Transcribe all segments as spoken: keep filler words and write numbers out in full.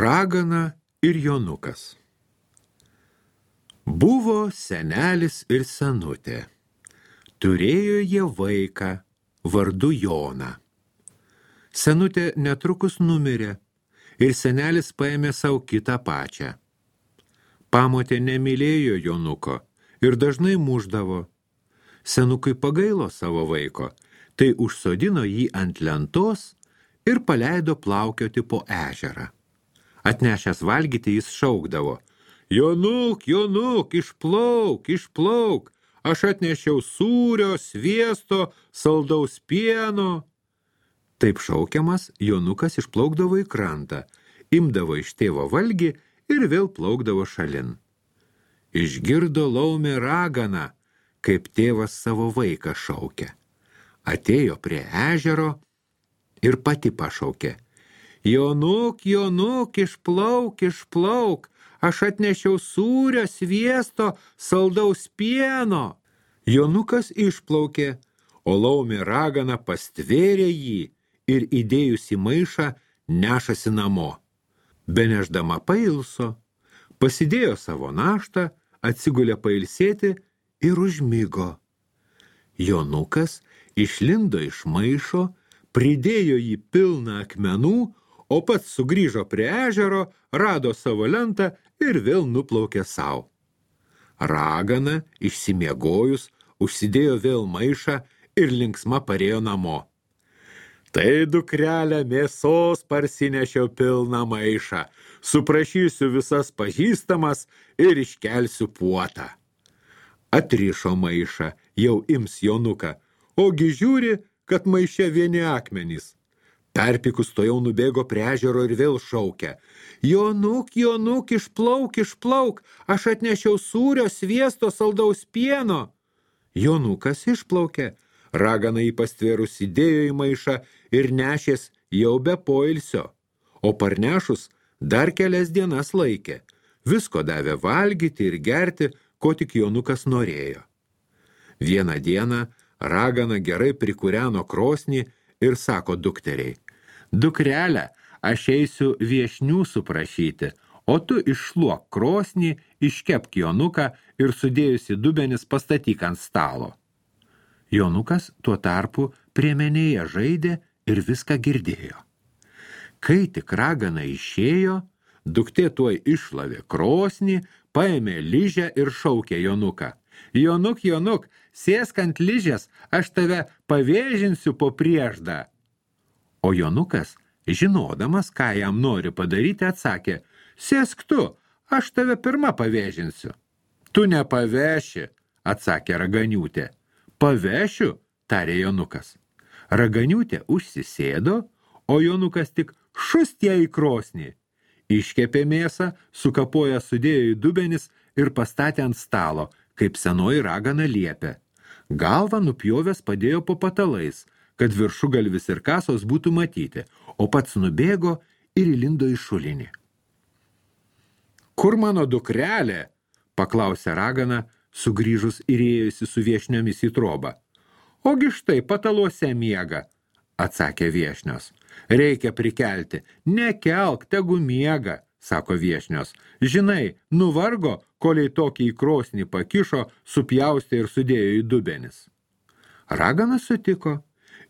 Ragana ir jonukas. Buvo senelis ir senutė. Turėjo jie vaiką vardu Joną. Senutė netrukus numirė ir senelis paėmė savo kitą pačią. Pamotė nemylėjo jonuko ir dažnai mušdavo. Senukui pagailo savo vaiko, tai užsodino jį ant lentos ir paleido plaukioti po ežerą. Atnešęs valgyti jis šaukdavo: Jonuk, Jonuk, išplauk, išplauk, aš atnešiau sūrio, sviesto, saldaus pieno. Taip šaukiamas, jonukas išplaukdavo į krantą, imdavo iš tėvo valgį ir vėl plaukdavo šalin. Išgirdo laumė ragana, kaip tėvas savo vaiką šaukia. Atėjo prie ežero ir pati pašaukė: Jonuk, Jonuk, išplauk, išplauk, aš atnešiau sūrio, sviesto, saldaus pieno. Jonukas išplaukė, o laumė ragana pastvėrė jį ir įdėjus į maišą nešasi namo. Beneždama pailso, pasidėjo savo naštą, atsigulė pailsėti ir užmigo. Jonukas išlindo iš maišo, pridėjo jį pilną akmenų, o pats sugrįžo prie ežero, rado savo lentą ir vėl nuplaukė sau. Ragana, išsimiegojus, užsidėjo vėl maišą ir linksma parėjo namo. Tai, dukrelė, mėsos parsinešiau pilną maišą, suprašysiu visas pažįstamas ir iškelsiu puotą. Atrišo maišą, jau ims jonuką, ogi žiūri, kad maiše vieni akmenys. Perpikus to jau nubėgo prie ežero ir vėl šaukia: Jonuk, Jonuk, išplauk, išplauk, aš atnešiau sūrio, sviesto, saldaus pieno. Jonukas išplaukė, ragana jį pastvėrus įdėjo į maišą ir nešės jau be poilsio, o parnešus dar kelias dienas laikė. Visko davė valgyti ir gerti, ko tik jonukas norėjo. Vieną dieną ragana gerai prikūreno krosnį ir sako dukteriai: Dukrelė, aš eisiu viešnių suprašyti, o tu iššluok krosnį, iškepk jonuką ir sudėjusi dubenis pastatyk ant stalo. Jonukas tuo tarpu priemenėje žaidė ir viską girdėjo. Kai tik ragana išėjo, duktė tuoj iššlavė krosnį, paėmė ližę ir šaukė jonuką: Jonuk, Jonuk, sėsk ant ližės, aš tave pavėžinsiu po prieždą. O jonukas, žinodamas, ką jam nori padaryti, atsakė: Sėsk tu, aš tave pirma pavėžinsiu. Tu nepaveši, atsakė raganiūtė. Pavešiu, tarė jonukas. Raganiūtė užsisėdo, o jonukas tik šust ją į krosnį. Iškepė mėsą, sukapoja sudėjo į dubenis ir pastatė ant stalo, kaip senoji ragana liepė. Galvą nupjovęs padėjo po patalais, kad viršugalvis ir kasos būtų matyti, o pats nubėgo ir įlindo į šulinį. Kur mano dukrelė? Paklausė ragana, sugrįžus ir ėjusi su viešniomis į trobą. Ogi štai pataluose miega, atsakė viešnios. Reikia prikelti. Nekelk, tegu miega, sako viešnios. Žinai, nuvargo, koliai tokį į krosnį pakišo, supjaustė ir sudėjo į dubenis. Ragana sutiko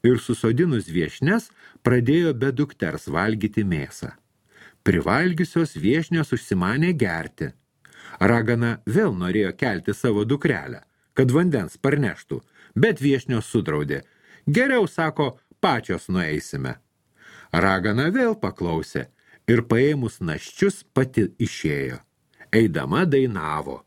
ir susodinus viešnes pradėjo be dukters valgyti mėsą. Privalgiusios viešnios užsimanė gerti. Ragana vėl norėjo kelti savo dukrelę, kad vandens parneštų, bet viešnios sudraudė. Geriau, sako, pačios nueisime. Ragana vėl paklausė ir paėmus naščius pati išėjo. Eidama dainavo: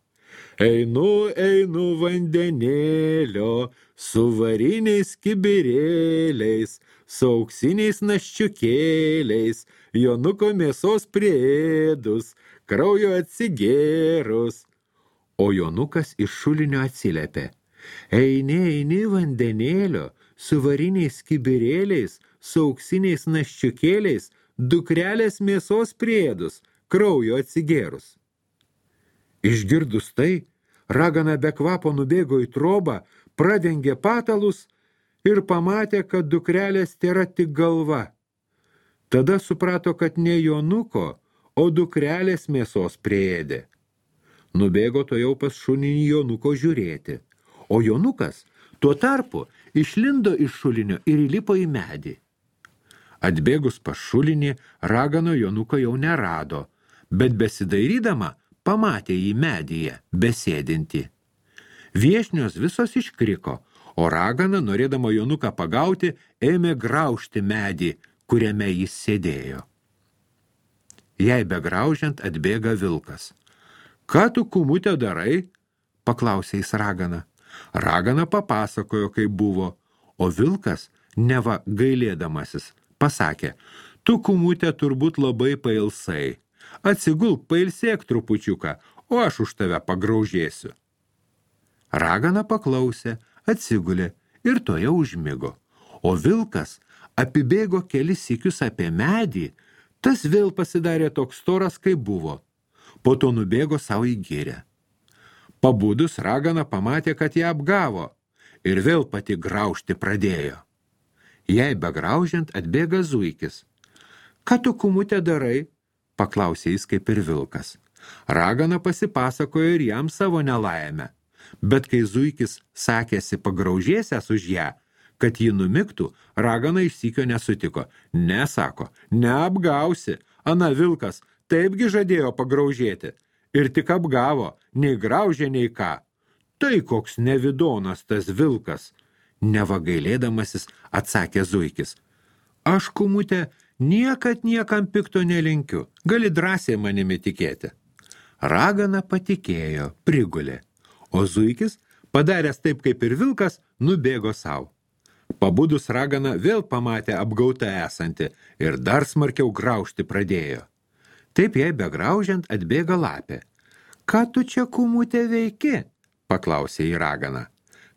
Einu, einu vandenėlio, su variniais kibirėliais, su auksiniais naščiukėliais, jonuko mėsos priėdus, kraujo atsigėrus. O jonukas iš šulinio atsiliepė: Eini, eini vandenėlio, su variniais kibirėliais, su auksiniais naščiukėliais, dukrelės mėsos priėdus, kraujo atsigėrus. Išgirdus tai, ragana be kvapo nubėgo į trobą, pradengė patalus ir pamatė, kad dukrelės tėra tik galva. Tada suprato, kad ne jonuko, o dukrelės mėsos priėdė. Nubėgo to jau pas šuninį Jonuko žiūrėti, o Jonukas tuo tarpu išlindo iš šulinio ir įlipo į medį. Atbėgus pas šulinį, ragano Jonuko jau nerado, bet besidairydama pamatė jį medyje, besėdinti. Viešnios visos iškriko, o ragana, norėdama Jonuką pagauti, ėmė graužti medį, kuriame jis sėdėjo. Jai begraužiant atbėga vilkas. Ką tu, kumute, darai? Paklausė jis raganą. Ragana papasakojo, kaip buvo, o vilkas, neva gailėdamasis, pasakė, tu, kumute, turbūt labai pailsai. Atsigulk, pailsėk trupučiuką, o aš už tave pagraužėsiu. Ragana paklausė, atsigulė ir toje užmigo, o vilkas apibėgo kelis sykius apie medį, tas vėl pasidarė toks storas, kaip buvo. Po to nubėgo savo į girią. Pabudus ragana pamatė, kad ją apgavo ir vėl pati graužti pradėjo. Jai begraužiant atbėga zuikis. Ką tu, kumute, darai? Paklausė jis kaip ir vilkas. Ragana pasipasakojo ir jam savo nelaimę. Bet kai zuikis sakėsi pagraužėsęs už ją, kad ji numigtų, ragana iš sykio nesutiko. Ne, sako, neapgausi, ana vilkas taipgi žadėjo pagraužėti. Ir tik apgavo, nei graužė, nei ką. Tai koks nevidonas tas vilkas, neva gailėdamasis atsakė zuikis. Aš, kumute, niekad niekam pikto nelinkiu, gali drąsiai manimi tikėti. Ragana patikėjo, prigulė, o zuikis, padaręs taip kaip ir vilkas, nubėgo savo. Pabudus ragana vėl pamatė apgautą esantį ir dar smarkiau graužti pradėjo. Taip jai begraužiant atbėga lapė. Ką tu čia, kumute, veiki? Paklausė į raganą.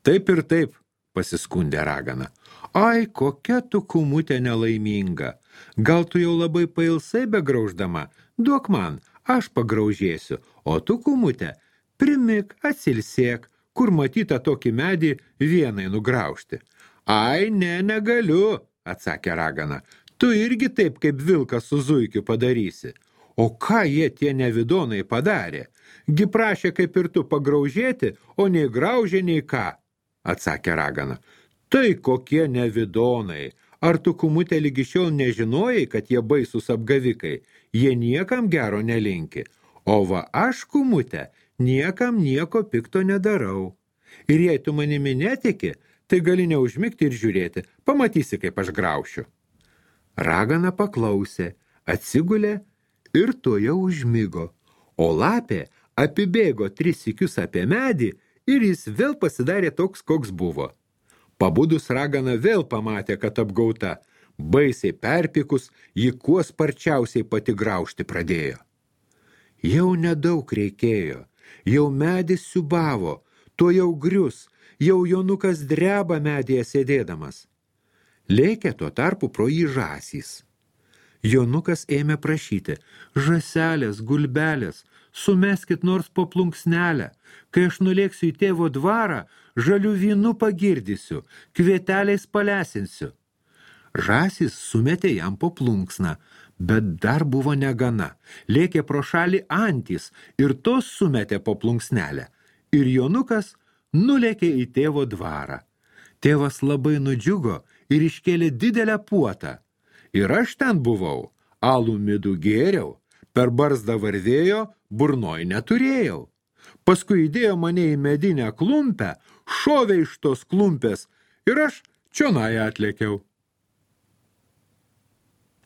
Taip ir taip, pasiskundė ragana. Ai, kokia tu, kumute, nelaiminga. Gal tu jau labai pailsai begrauždama? Duok man, aš pagraužėsiu, o tu, kumute, primik, atsilsėk, kur matyta tokį medį vienai nugraužti. Ai, ne, negaliu, atsakė ragana. Tu irgi taip kaip vilkas su zuikiu padarysi. O ką jie tie nevidonai padarė? Gi prašė kaip ir tu pagraužėti, o nei graužė, nei ką, atsakė ragana. Tai kokie nevidonai. Ar tu, kumute, lygi šiol nežinojai, kad jie baisus apgavikai? Jie niekam gero nelinki. O va aš, kumute, niekam nieko pikto nedarau. Ir jei tu manimi netiki, tai gali neužmigti ir žiūrėti, pamatysi, kaip aš graušiu. Ragana paklausė, atsigulė ir toje užmigo, o lapė apibėgo tris sykius apie medį ir jis vėl pasidarė toks, koks buvo. Pabudus ragana vėl pamatė, kad apgauta, baisiai perpikus, ji kuo sparčiausiai pati graužti pradėjo. Jau nedaug reikėjo, jau medis siubavo, to jau grius, jau Jonukas dreba medyje sėdėdamas. Lėkė tuo tarpu pro jį žąsys. Jonukas ėmė prašyti, žąselės, gulbelės, sumeskit nors po plunksnelę, kai aš nulėksiu į tėvo dvarą, žalių vynu pagirdysiu, kvieteliais palesinsiu. Žąsys sumetė jam po plunksną, bet dar buvo negana, lėkė pro šalį antys ir tos sumetė po plunksnelę, ir Jonukas nulėkė į tėvo dvarą. Tėvas labai nudžiugo ir iškėlė didelę puotą. Ir aš ten buvau, alų midų gėriau, per barzdą varvėjo, burnoj neturėjau. Paskui įdėjo mane į medinę klumpę, šovė iš tos klumpės ir aš čionai atlėkiau.